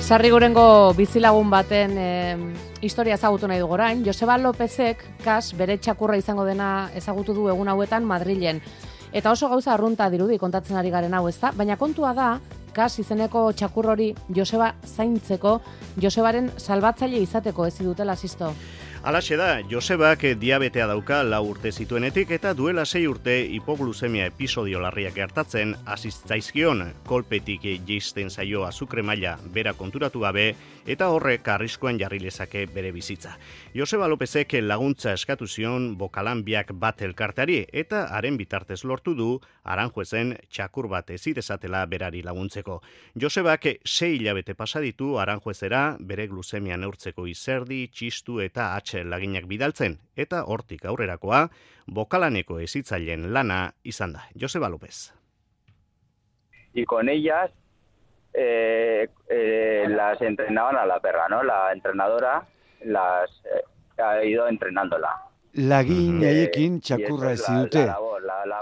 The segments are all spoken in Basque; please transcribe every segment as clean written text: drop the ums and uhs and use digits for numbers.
Sarrigurengo bizilagun baten historia ezagutu nahi dugu orain. Joseba Lopezek, kas, bere txakurra izango dena ezagutu du egun hauetan Madrilen. Eta oso gauza arrunta dirudi kontatzen ari garen hau, ezta? Baina kontua da, kas izeneko txakur hori Joseba zaintzeko, Josebaren salbatzaile izateko ez dutela Sisto. Halaxe da, Josebak diabetea dauka 4 urte zituenetik eta duela 6 urte hipoglusemia episodio larriak gertatzen asistzaizkion kolpetik jeisten zaio azukre maila bera konturatu gabe eta horrek arriskoan jarri lezake bere bizitza. Joseba Lopezek laguntza eskatu zion Bokalanbiak bat elkarteari eta haren bitartez lortu du Aranjuezen txakur bat ezidezatela berari laguntzeko. Josebak 6 hilabete pasa ditu Aranjuezera bere glusemia neurtzeko izerdi, txistu eta laginak bidaltzen, eta hortik aurrerakoa, Bokalaneko hezitzaileen lana izan da. Joseba López. Y con ellas las entrenaban a la perra, ¿no? La entrenadora ha ido entrenándola. Lagin haiekin txakurra ez dute.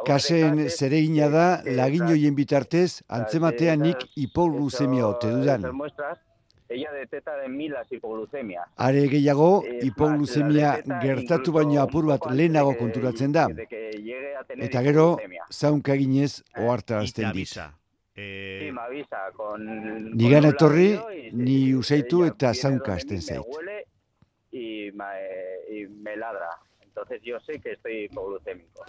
Kasen zeregina da, lagin hoien bitartez, antzematean nik hipoglusemia ote dudan. Ella detecta en mí las hipoglucemias. Are gehiago, hipoglusemia gertatu baino apur bat lehenago konturatzen da. Eta gero, zaunka eginez ohartarazten dit. Sí, me avisa con Nigan etorri, ni usaitu eta zaunka hasten zait. Y me ladra. Entonces yo sé que estoy hipoglucémico.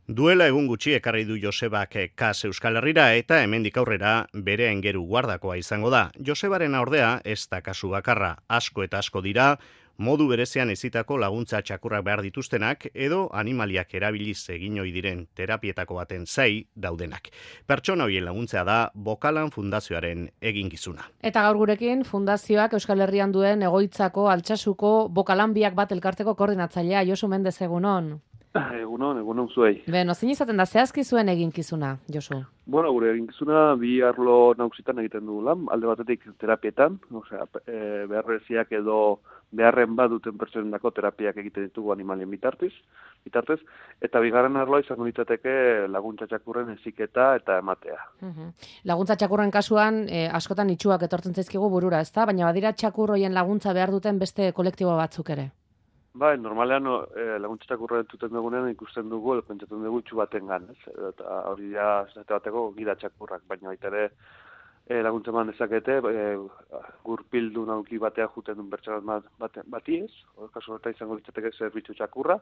Duela egun gutxi ekarri du Josebak kas Euskal Herrira eta hemendik aurrera bere aingeru guardakoa izango da. Josebaren ordea ez da kasu bakarra, asko eta asko dira, modu berezean ezitako laguntza txakurrak behar dituztenak edo animaliak erabiliz egin ohi diren terapietako baten zai daudenak. Pertsona horien laguntzea da Bokalan Fundazioaren eginkizuna. Eta gaur gurekin Fundazioak Euskal Herrian duen egoitzako Altsasuko Bokalanbiak bat elkarteko koordinatzailea Josu Mendez egunon. Egunon zuei. Beno, zein izaten da zehazki zuen eginkizuna, Josu? Bueno, gure eginkizuna bi arlo nagusitan egiten dugu lan, alde batetik terapietan, osea, beharreziak edo beharren baduten pertsonendako terapiak egiten ditugu animalien bitartez, eta bigarren arloa izango litzateke laguntza txakurren heziketa eta ematea. Laguntza txakurren kasuan, askotan itxuak etortzen zaizkigu burura, ezta? Baina badira txakur hoien laguntza behar duten beste kolektibo batzuk ere. Bai, normalean laguntza txakurra entzuten dugunean ikusten dugu, edo pentsatzen dugu itxu batengan, ez? Eta hori da, zate bateko gida txakurrak, baina baita ere laguntza eman dezakete, gurpildu nauki batea juten duen pertsona bati ez, kasu horretan izango litzateke zerbitzu txakurra,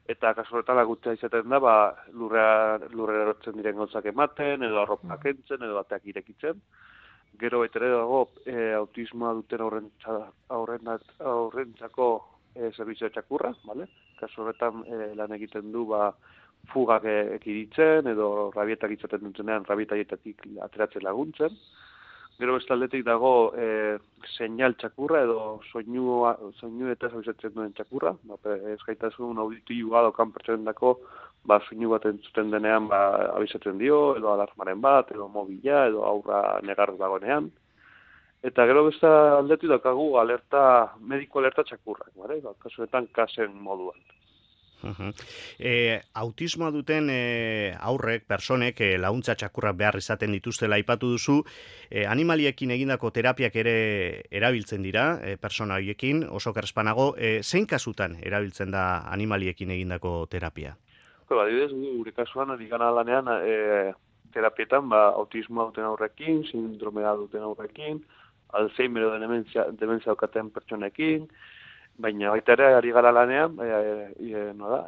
eta kasu horretan laguntza izaten da, lurrera erotzen diren gauzak ematen, edo arropak entzen, edo bateak irekitzen. Gero baita ere dago, autismoa duten aurrentzako zerbitzu txakurra, vale? Kasu horretan lan egiten du fugak ekiditen edo rabietak izaten dutenean rabietaietatik ateratzen laguntzen. Gero beste aldetik dago seinal txakurra edo soinu eta abisatzen duen txakurra, ezgaitasun auditiboa daukan pertsonendako soinu bat entzuten denean abisatzen dio, edo alarmaren bat, edo mobila, edo aurra negar dagoenean. Eta gero beste aldetik daukagu mediko alerta txakurrak, kasuetan kasen moduan. Autismoa duten aurrek, personek, laguntza txakurrak behar izaten dituztela aipatu duzu, animaliekin egindako terapiak ere erabiltzen dira, persona horiekin, oso kerspanago, zein kasutan erabiltzen da animaliekin egindako terapia? Adibidez, gure kasuan, ari gana lanean, terapietan, autismoa duten aurrekin, sindromea duten aurrekin, Alzheimer edo dementzia daukaten pertsonekin, baina baita ere ari gara lanean,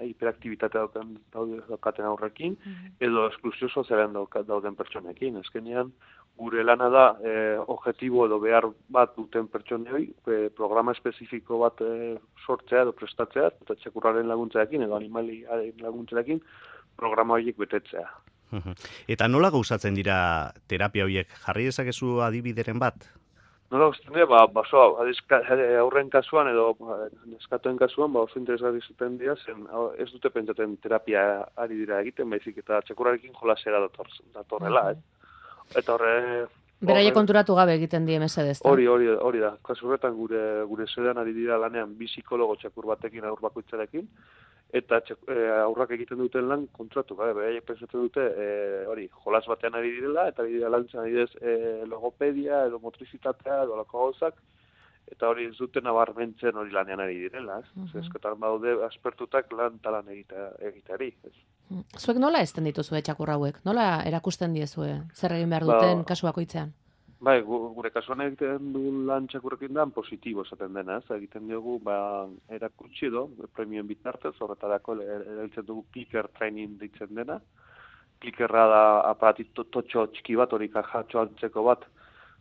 hiperaktibitatea daukaten aurrekin, edo esklusio sozialen dauden pertsonekin. Azkenean, gure lana da, objektibo edo behar bat duten pertsonei, programa espezifiko bat sortzea edo prestatzea, eta txakurraren laguntzarekin edo animaliaren laguntzarekin, programa horiek betetzea. Eta nola gauzatzen dira terapia horiek? Jarri dezakezu adibideren bat? Nola gauzatzen dira, aurren kasuan edo neskatoen kasuan, oso interesgarri zuten dira, zen ez dute pentsaten terapia ari dira egiten, baizik eta txakurrarekin jolasera datorrela, Eta Beraie konturatu gabe egiten die mesedez. Hori da. Kasu horretan gure zedean ari dira lanean bi psikologo txakur batekin aur bakoitzarekin, eta aurrak egiten duten lan kontratu, beraiek pentsatzen dute hori, jolas batean ari direla, eta ari dira lantzen adidez logopedia, edo motrizitatea, edo alako gauzak, eta hori ez duten nabarmentzen hori lanean ari direla, ez? Eskotan badaude aspertutak lan talan egiteari, ez? Zuek nola ezten dituzue txakur hauek? Nola erakusten diezue? Zer egin behar duten kasu bakoitzean? Bai, gure kasuan egiten duen lan txakurrekin da positibo esaten dena, ez? Egiten diogu, erakutsi edo, premioen bitartez, horretarako erabiltzen dugu clicker training ditzen dena. Clickerra da aparatito totxo txiki bat, hori kajatxo antzeko bat,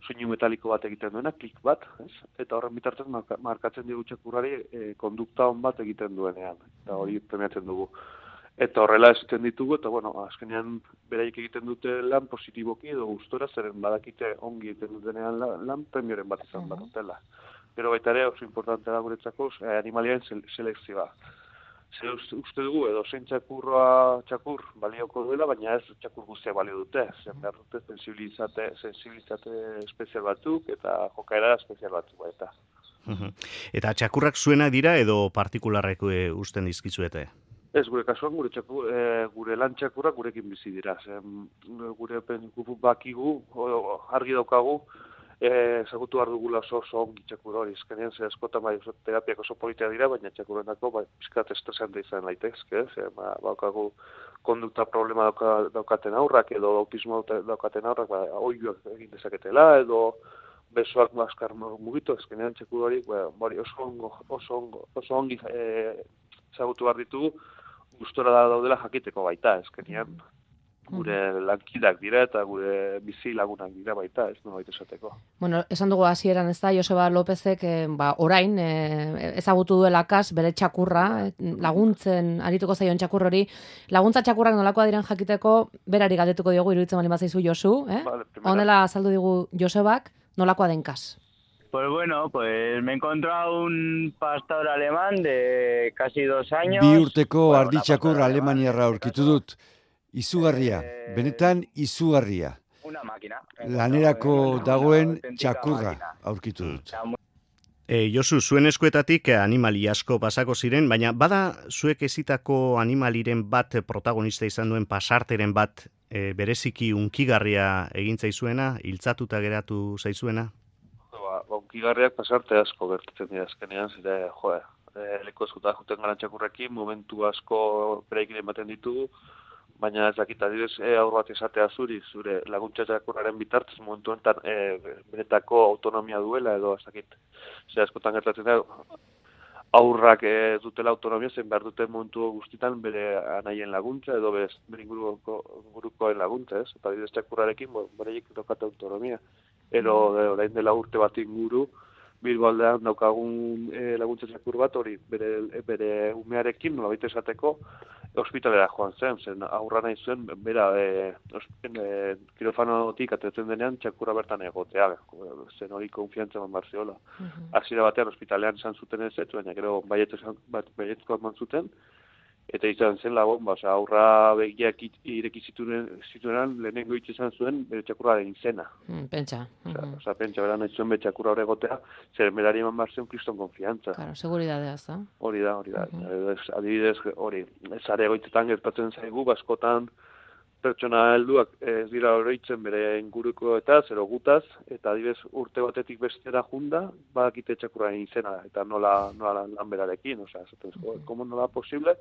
soinu metaliko bat egiten duena, klik bat, ez? Eta horren bitartez markatzen dugu txakurrari kondukta on bat egiten duenean, eta hori premiatzen dugu. Eta horrela esaten ditugu, eta azkenean beraik egiten dute lan positiboki edo gustora, zeren badakite ongi egiten dutenean lan premioren bat izan batutela. Pero baita ere, oso importante da guretzako, animaliaren selekzioa. Uste dugu, edo zein txakur balioko duela, baina ez txakur guztia balio dute. Zen behar dute sensibilizate espezial batzuk eta jokaera espezial batzuk baita. Eta txakurrak zuena dira edo partikularrek usten dizkizuete? Ez, gure kasuan, gure lan txakurrak gurekin bizi dira. Gure bakigu, argi daukagu, ezagutu behar dugula oso ongi txakur hori. Ezkenean, askotan terapiak oso politia dira, baina txakurrenako pizkat estresan da izan daitezke. Baukagu kondukta problema daukaten aurrak, edo autismo daukaten aurrak, oioak egin dezaketela, edo besoak maskar mugitu. Ezkenean, txakur hori oso ongi ezagutu behar ditugu, gustora daudela jakiteko baita, ezkenean gure lankidak dira eta gure bizi lagunak dira baita, ez nolabait esateko. Bueno, esan dugu hasieran ez da, Joseba Lopezek orain ezagutu duela kas bere txakurra, laguntzen arituko zaion txakur hori, laguntza txakurrak nolakoa diren jakiteko, berari galdetuko diogu iruditzen bali bazaizu Josu, honela azaldu digu Josebak, nolakoa den kas. Pues bueno, me he encontrado un pastor alemán de casi 2 años. Bi urteko arditxakur alemaniarra aurkitu dut. Izugarria, benetan izugarria. Una máquina. Lanerako dagoen txakurra aurkitu dut. Josu, zuen eskuetatik animali asko pasako ziren, baina bada zuek ezitako animaliren bat protagonista izan duen pasarteren bat bereziki unkigarria egin zaizuena, hiltzatuta geratu zaizuena? Unkigarriak pasarte asko gertatzen dira azkenean, leku eskuta juten gara txakurrekin, momentu asko bereikin ematen ditugu, baina ez dakit adibidez aur bat esatea zure laguntza txakurraren bitartez momentu enten benetako autonomia duela edo ez dakit. Askotan gertatzen da, aurrak dutela autonomia zen behar duten momentu guztitan bere anaien laguntza edo bere ingurukoen laguntza, ez? Eta adibidez txakurrarekin bereiek daukate autonomia. Orain dela urte bat inguru, Bilbo aldean daukagun laguntza txakur bat, hori bere umearekin, nolabait esateko, ospitalera joan zen aurra nahi zuen, bera kirofanotik atetzen denean txakurra bertan egotea, zen hori konfiantza eman barziola. Hasiera batean ospitalean izan zuten ez, baina gero baietko eman zuten, eta izan zen lagun, aurra begiak ireki zituenan lehenengo hitz izan zuen bere txakurraren izena. Pentsa. Pentsa, bera nahi zuen bere txakurra hori egotea, zer berari eman barzen kriston konfiantza. Claro, seguridadea, ez da? Hori da. Adibidez, hori, zare egoitzetan gertatzen zaigu, askotan pertsona helduak ez dira oroitzen bere inguruko eta zero gutaz, eta adibidez urte batetik bestera junda, badakite txakurraren izena, eta nola lan berarekin, komo nola posible,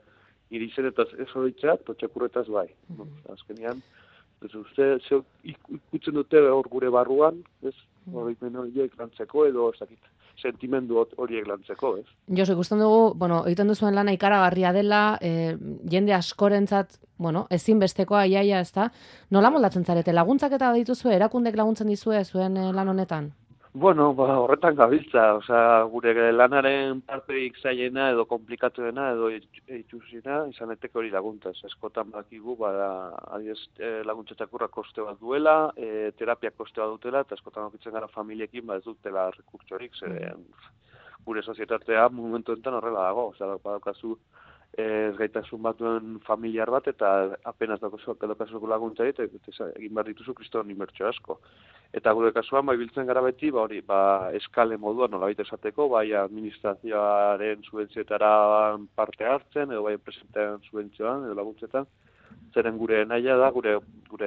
nire izenetaz ez horitzea, txakurretaz bai. Azkenean, ikutzen dute hor gure barruan, ez? Horiek lantzeko edo, ez dakit, sentimendu horiek lantzeko, ez? Josu, ikusten dugu, egiten duzuen lana ikaragarria dela, jende askorentzat, ezinbestekoa iaia, ez da? Nola moldatzen zarete? Laguntzak eta dituzue, erakundek laguntzen dizue zuen lan honetan? Horretan gabiltza, gure lanaren parteik zailena edo komplikatuena edo itxusina izan eteke hori laguntza. Eskotan bakigu, adiez laguntza txakurra koste bat duela, terapia koste bat dutela, eta eskotan okitzen gara familiekin ez dutela rekurtsorik, gure sozietatea momentu enten horrela dago, badaukazu ez gaitasun batuen familiar bat, eta apenas daukazuko laguntzarik, eta egin behar dituzu kriston inbertsio asko. Eta gure kasuan, biltzen gara beti, eskale moduan, nolabait esateko, bai administrazioaren subentzioetara parte hartzen, edo bai enpresentean subentzioan, edo laguntzetan, zeren gure nahia da, gure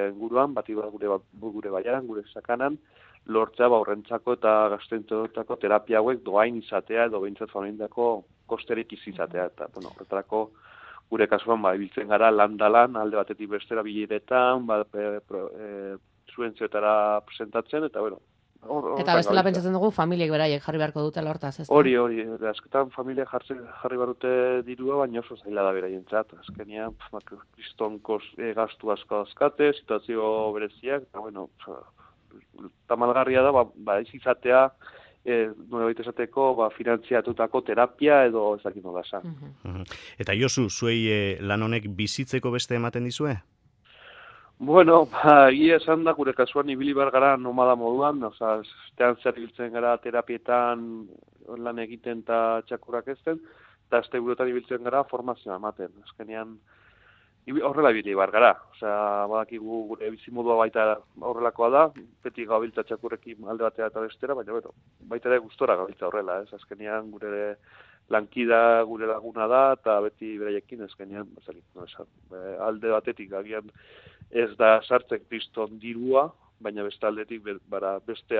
inguruan, gure baiaran, gure sakanan, lortzea horrentzako eta gaztentzako terapia hauek doain izatea edo behintzat familiendako kosterik izatea. Eta, horretarako gure kasuan ibiltzen gara lan alde batetik bestera bileretan, subentzioetara presentatzen, eta eta bestela pentsatzen dugu familiek beraiek jarri beharko dutela hortaz, ez da? Hori, azketan familia jarri barute dirua, baina oso zaila da beraientzat. Azkenean, kriston gastu asko azkate, situazio bereziak, eta tamalgarria da, ez izatea, nolabait esateko, finantziatutako terapia edo ez dakit nola esan. Eta Josu, zuei lan honek bizitzeko beste ematen dizue? Ia esan da, gure kasuan ibili behar gara nomada moduan, estean zer ibiltzen gara terapietan lan egiten eta txakurrak ezten, eta azte buruetan ibiltzen gara formazioa ematen. Azkenean, horrela ibili behar gara. Badakigu gure bizimodua baita horrelakoa da, beti gabiltza txakurrekin alde batera eta bestera, baina baita ere gustora gabiltza horrela. Azkenean gure lankida gure laguna da, eta beti beraiekin azkenean, alde batetik agian ez da sartzen kriston dirua, baina beste aldetik beste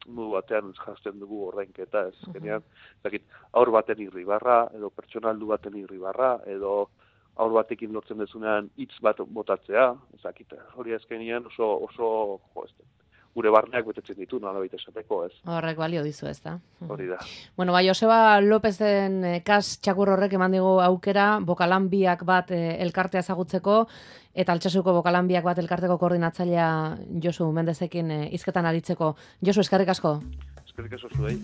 modu batean jazten dugu ordainketa. Azkenean, aur baten irribarra, edo pertsonaldu baten irribarra, edo aur batekin lortzen dezunean hitz bat botatzea, hori azkenean oso gure barneak betetzen ditu, nolabait esateko, ez. Horrek balio dizu, ez da. Hori da. Joseba Lopezen kas txakur horrek eman digu aukera, bokalanbiak bat elkartea ezagutzeko, eta Altsasuko bokalanbiak bat elkarteko koordinatzailea Josu Mendezekin hizketan aritzeko. Josu, eskerrik asko. Eskerrik asko zuei.